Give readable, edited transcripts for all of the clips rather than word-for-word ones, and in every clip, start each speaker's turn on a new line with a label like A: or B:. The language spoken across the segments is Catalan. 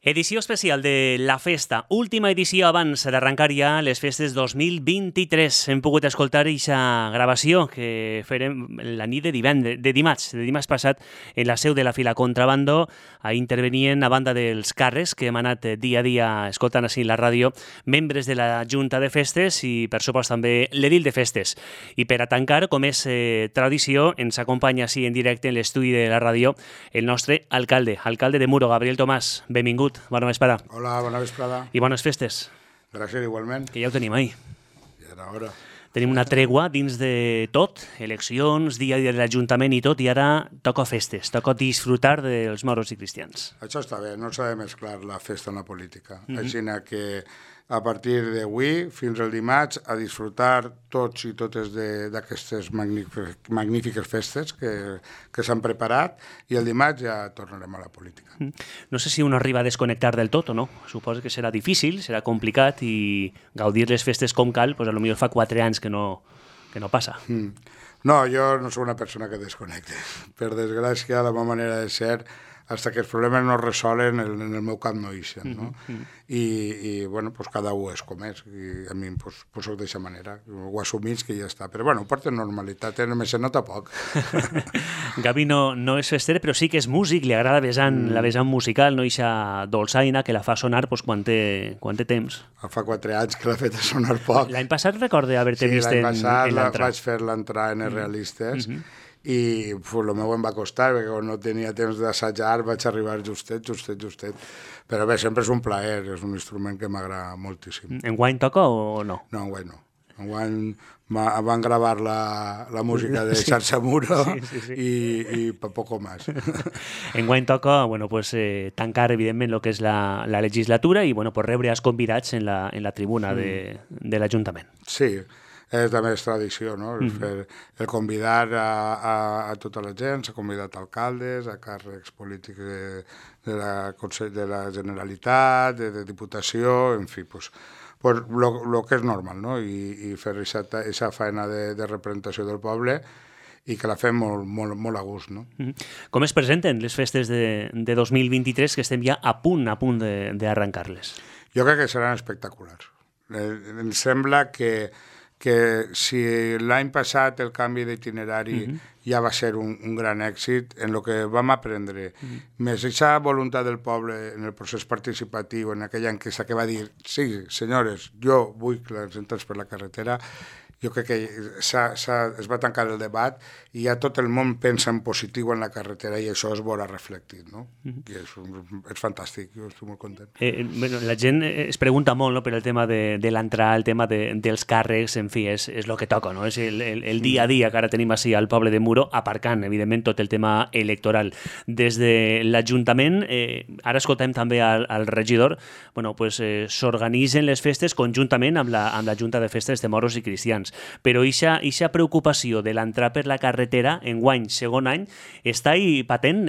A: Edició especial de La Festa, última edició abans d'arrencar ja les festes 2023. Hem pogut escoltar aquesta gravació que farem la nit de dimarts passat en la seu de la Fila Contrabando. A intervenien a banda dels càrrecs que hem anat dia a dia escoltant així la ràdio, membres de la Junta de Festes i per supost també l'edil de Festes. I per a tancar, com és tradició, ens acompanya així en directe en l'estudi de la ràdio el nostre alcalde de Muro, Gabriel Tomàs. Benvingut. Bona vesprada.
B: Hola, bona vesprada.
A: I bones festes.
B: Gràcies, igualment.
A: Que ja ho tenim ahí.
B: Ja era hora.
A: Tenim una tregua dins de tot, eleccions, dia a dia de l'Ajuntament i tot, i ara toca festes, toca disfrutar dels moros i cristians.
B: Això està bé, no s'ha de mesclar la festa amb la política. Així que a partir d'avui fins al dimarts a disfrutar tots i totes d'aquestes magnífiques festes que s'han preparat i el dimarts ja tornarem a la política.
A: No sé si un arriba a desconnectar del tot o no. Suposo que serà difícil, serà complicat i gaudir les festes com cal, doncs potser fa 4 anys que no passa.
B: No, jo no soc una persona que desconnecte. Per desgràcia, la meva manera de ser, fins que els problemes no es resolen, en el meu cap no ixen, no? I bueno, pues cada un és com és, i a mi pues soc d'aquesta manera, ho assumís que ja està, però bueno, ho porta normalitat, només se nota poc.
A: Gavi no és fester, però sí que és músic, li agrada la vessant musical, no ixa dolçaina que la fa sonar pues, quan té temps.
B: Fa 4 anys que l'ha fet sonar poc.
A: L'any passat recorde haver-te vist en l'entrada.
B: Sí, l'any passat vaig fer l'entrada en els realistes, i el meu em va costar, perquè quan no tenia temps d'assajar vaig arribar justet. Però bé, sempre és un plaer, és un instrument que m'agrada moltíssim.
A: Enguany toca o no?
B: No, enguany no. Enguany van gravar la música de Xarxa Muro i poco más.
A: Enguany toca tancar, evidentment, el que és la legislatura i rebre els convidats en la tribuna de l'Ajuntament.
B: Sí, és la més tradició, no? El convidar a tota la gent, s'ha convidat alcaldes, a càrrecs polítics de la Generalitat, de Diputació, en fi, el que és normal, no? I fer aquesta feina de representació del poble i que la fem molt a gust, no?
A: Com es presenten les festes de 2023 que estem ja a punt d'arrencar-les?
B: Jo crec que seran espectaculars. Em sembla que si l'any passat el canvi d'itinerari ja va ser un gran èxit, en el que vam aprendre, més aquesta voluntat del poble en el procés participatiu, en aquella enquesta que va dir, sí, senyores, jo vull que les entres per la carretera, jo crec que es va tancar el debat i ja tot el món pensa en positiu en la carretera i això es veurà reflectit, no? I és fantàstic, jo estic molt content.
A: La gent es pregunta molt per el tema de l'entrar, el tema dels càrrecs, en fi, és el que toca, no? És el dia a dia que ara tenim així al poble de Muro, aparcant, evidentment, tot el tema electoral. Des de l'Ajuntament, ara escoltem també al regidor, s'organitzen les festes conjuntament amb la Junta de Festes de Moros i Cristians. Però aquesta preocupació de l'entrar per la carretera, enguany, segon any, està ahí patent.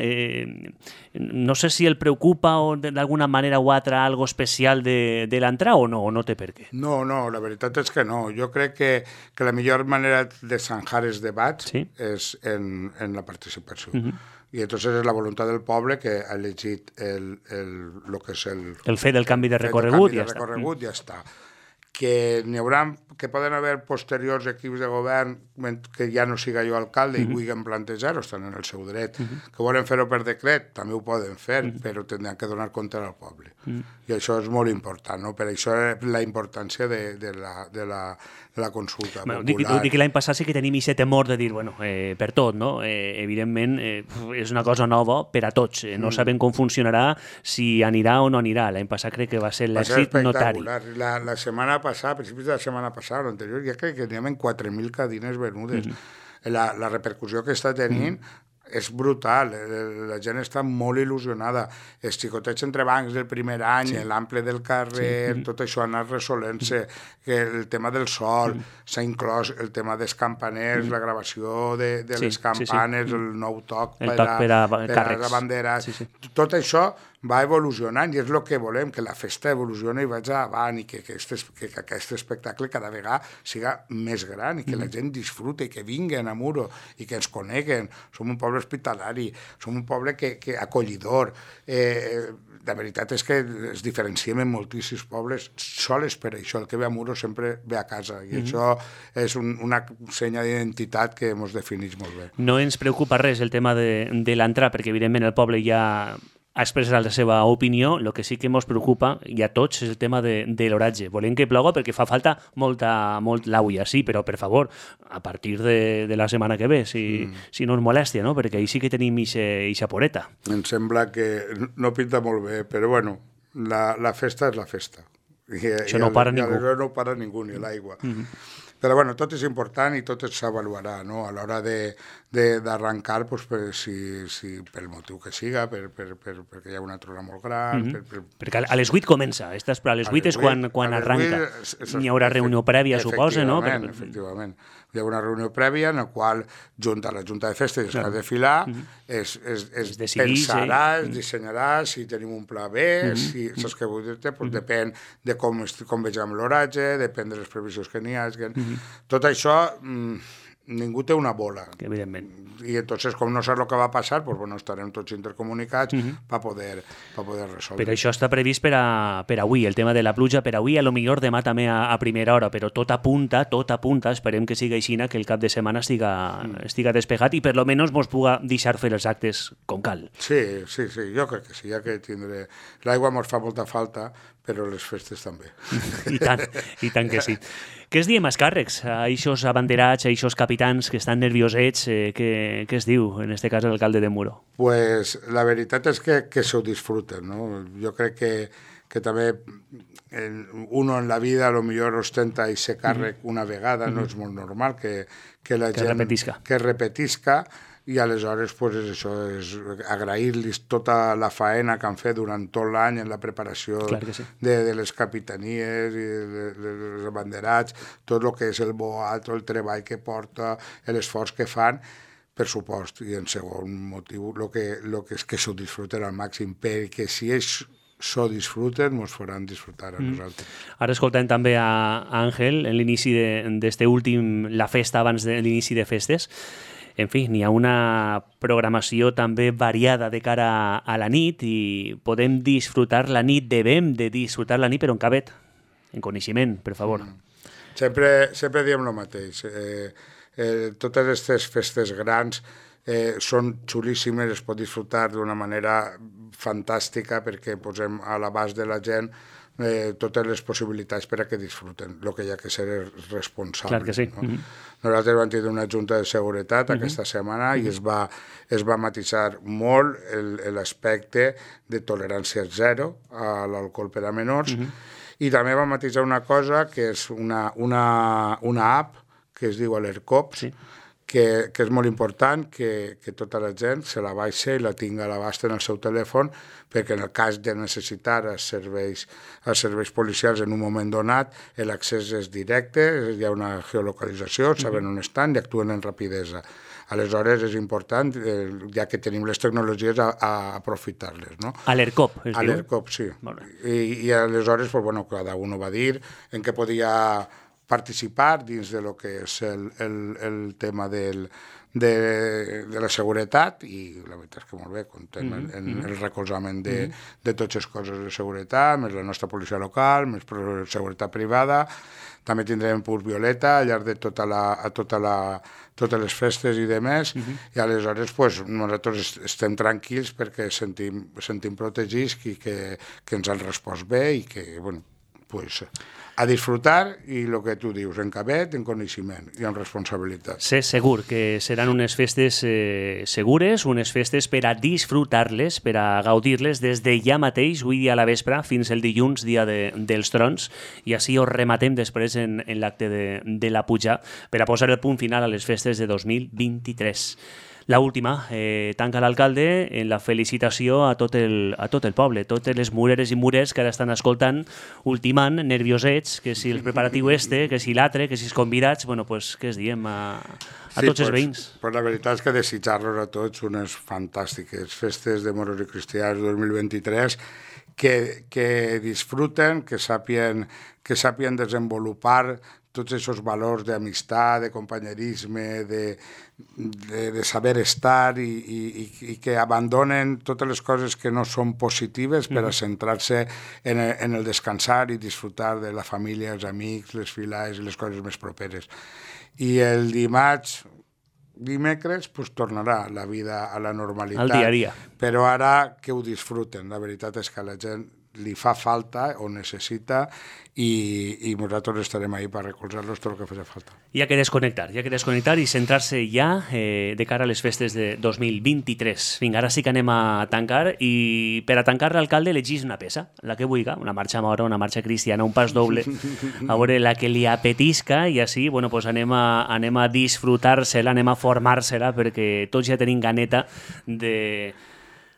A: No sé si el preocupa o d'alguna manera o altra algo especial de l'entrar o no té per què.
B: No, la veritat és que no. Jo crec que la millor manera de zanjar els debats és en la participació. I entonces és la voluntat del poble que ha elegit el que és
A: el fet del canvi de recorregut
B: i ja està. Que n'hi haurà, que poden haver posteriors equips de govern que ja no siga jo alcalde i vulguin plantejar-ho, estan en el seu dret. Que volen fer-ho per decret, també ho poden fer, però tindran que donar compte al poble. I això és molt important, no? Per això la importància de la consulta popular.
A: Dic que l'any passat sí que tenim aquest temor de dir, per tot, no? Evidentment, és una cosa nova per a tots. No sabem com funcionarà, si anirà o no anirà. L'any passat crec que va ser l'èxit notari.
B: La setmana passada, a principis de la setmana passada, l'anterior, ja crec que teníem 4.000 cadires venudes. La repercussió que està tenint és brutal, la gent està molt il·lusionada. Els xicotets entre bancs del primer any, l'ample del carrer, tot això ha anat resolent-se, el tema del sol, s'ha inclòs el tema dels campaners, la gravació de les campanes, el nou toc per a la bandera. Tot això va evolucionant i és el que volem, que la festa evolucioni i vagi avant i que aquest espectacle cada vegada siga més gran i que la gent disfrute i que vinguen a Muro i que ens coneguen. Som un poble hospitalari, som un poble que acollidor. La veritat és que es diferenciem en moltíssims pobles sols per això. El que ve a Muro sempre ve a casa i això és una senya d'identitat que ens defineix molt bé.
A: No ens preocupa res el tema de l'entrar, perquè evidentment el poble ja ha expressat la seva opinió. El que sí que ens preocupa, i a tots, és el tema de l'oratge. Volem que ploga perquè fa falta molt l'aigua, sí, però per favor, a partir de la setmana que ve, si no ens molèstia, no? Perquè ahir sí que tenim ixa poreta.
B: Em sembla que no pinta molt bé, però bueno, la festa és la festa.
A: Això no para ningú.
B: No para ningú, ni l'aigua. Però bueno, tot és important i tot s'avaluarà, no? A l'hora d'arrencar, doncs, si pel motiu que siga, perquè hi ha una trona molt gran...
A: Perquè a les 8 comença, a les 8 és quan arranca. N'hi haurà reunió prèvia, suposa, no?
B: Efectivament. Hi ha una reunió prèvia en la qual la Junta de Festes es va desfilar, es pensarà, es dissenyarà si tenim un pla B, si saps què vull dir-te, doncs depèn de com vegem l'oratge, depèn de les previsions que n'hi hagi. Tot això ningú té una bola.
A: Evidentment.
B: I entonces, com no saps el que va passar, doncs bueno, estarem tots intercomunicats per poder resoldre.
A: Però això està previst per avui, el tema de la pluja per avui, a lo millor demà també a primera hora, però tot apunta, esperem que siga així, que el cap de setmana estiga despejat i per lo menos mos puga deixar fer els actes com cal.
B: Sí, jo crec que sí, ja que tindré... L'aigua mos fa molta falta, però les festes també.
A: I tant que sí. Què es diem als càrrecs, a eixos abanderats, a eixos capitans que estan nerviosets? Què es diu, en este cas, l'alcalde de Muro?
B: Pues la veritat és que s'ho disfruten, no? Jo crec que també uno en la vida a lo millor ostenta i se càrrec una vegada, no és molt normal que la gent... Que repetisca. I aleshores pues, és això, és agrair-los tota la faena que han fet durant tot l'any en la preparació de les capitanies i dels abanderats, tot el que és el boat, el treball que porta, l'esforç que fan, per supost. I en segon motiu, el que és que s'ho disfruten al màxim, perquè si ells s'ho disfruten, ens faran disfrutar a nosaltres.
A: Ara escoltem també a Àngel en l'inici d'este últim, la festa abans de l'inici de festes. En fi, n'hi ha una programació també variada de cara a la nit i podem disfrutar la nit, devem de disfrutar la nit, però en cabet, en coneixement, per favor.
B: Sempre diem el mateix. Totes aquestes festes grans són xulíssimes, es pot disfrutar d'una manera fantàstica perquè posem a l'abast de la gent totes les possibilitats per a que disfruten. El que hi ha que ser és responsable.
A: Clar que sí.
B: No? Nosaltres vam tenir una junta de seguretat aquesta setmana i es va matisar molt l'aspecte de tolerància zero a l'alcohol per a menors i també va matisar una cosa que és una app que es diu Alercop, que és molt important que tota la gent se la baixa i la tinga a l'abast en el seu telèfon perquè en el cas de necessitar els serveis policials en un moment donat l'accés és directe, hi ha una geolocalització, saben on estan i actuen en rapidesa. Aleshores és important, ja que tenim les tecnologies, a aprofitar-les. No?
A: Alercop, es diu?
B: Alercop, sí. I aleshores, pues, bueno, cada un va dir en què podia participar dins de lo que és el tema de la seguretat i la veritat és que molt bé, contem en el recolzament de totes les coses de seguretat, més la nostra policia local, més seguretat privada. També tindrem Pur Violeta al llarg de totes les festes i demés, i aleshores pues, nosaltres estem tranquils perquè sentim protegits i que ens han respost bé i que, bueno, pues, a disfrutar i el que tu dius, en cabet, en coneixement i en responsabilitat.
A: Sé segur que seran unes festes segures, unes festes per a disfrutar-les, per a gaudir-les des de ja mateix, avui dia a la vespre, fins el dilluns, dia dels trons, i així ho rematem després en l'acte de la puja per a posar el punt final a les festes de 2023. La última, tanca l'alcalde en la felicitació a tot el poble, totes les mureres i mures que ara estan escoltant, ultimant, nerviosets, que si el preparatiu que si l'altre, que si els convidats, bueno, pues, què es diem a tots els veïns?
B: Pues la veritat és que desitjar-los a tots unes fantàstiques festes de moros i cristians 2023 que disfruten, que sàpien desenvolupar tots aquests valors d'amistat, de companyerisme, de saber estar i que abandonen totes les coses que no són positives per a centrar-se en el descansar i disfrutar de la família, els amics, les filades i les coses més properes. I el dimecres pues, tornarà la vida a la normalitat.
A: Al dia a dia.
B: Però ara que ho disfruten. La veritat és que a la gent li fa falta o necessita i nosaltres estarem ahí per recolzar-los tot el que faci falta.
A: Hi ha que desconnectar i centrar-se ja de cara a les festes de 2023. Vinga, ara sí que anem a tancar i per a tancar l'alcalde elegís una peça, la que vulgui, una marxa mora, una marxa cristiana, un pas doble, a veure la que li apetisca i així bueno, pues anem a disfrutar-se-la, anem a formar-se-la perquè tots ja tenim ganeta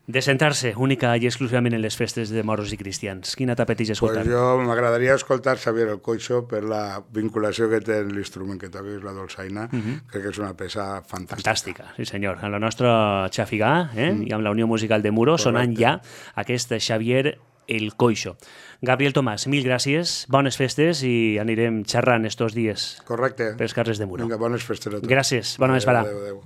A: de centrar-se única i exclusivament en les festes de moros i cristians. Quina t'apeteix escoltar?
B: Pues jo m'agradaria escoltar Xavier el Coixo per la vinculació que té l'instrument que toca, és la dolçaina. Crec que és una peça fantàstica.
A: Fantàstica, sí senyor. Amb la nostra xafigà i amb la Unió Musical de Muro sonant ja aquest Xavier el Coixo. Gabriel Tomàs, mil gràcies, bones festes i anirem xerrant estos dies.
B: Correcte.
A: Pels carrers de Muro.
B: Vinga, bones festes a tots.
A: Gràcies, bona vesprada.
B: Adéu, adéu.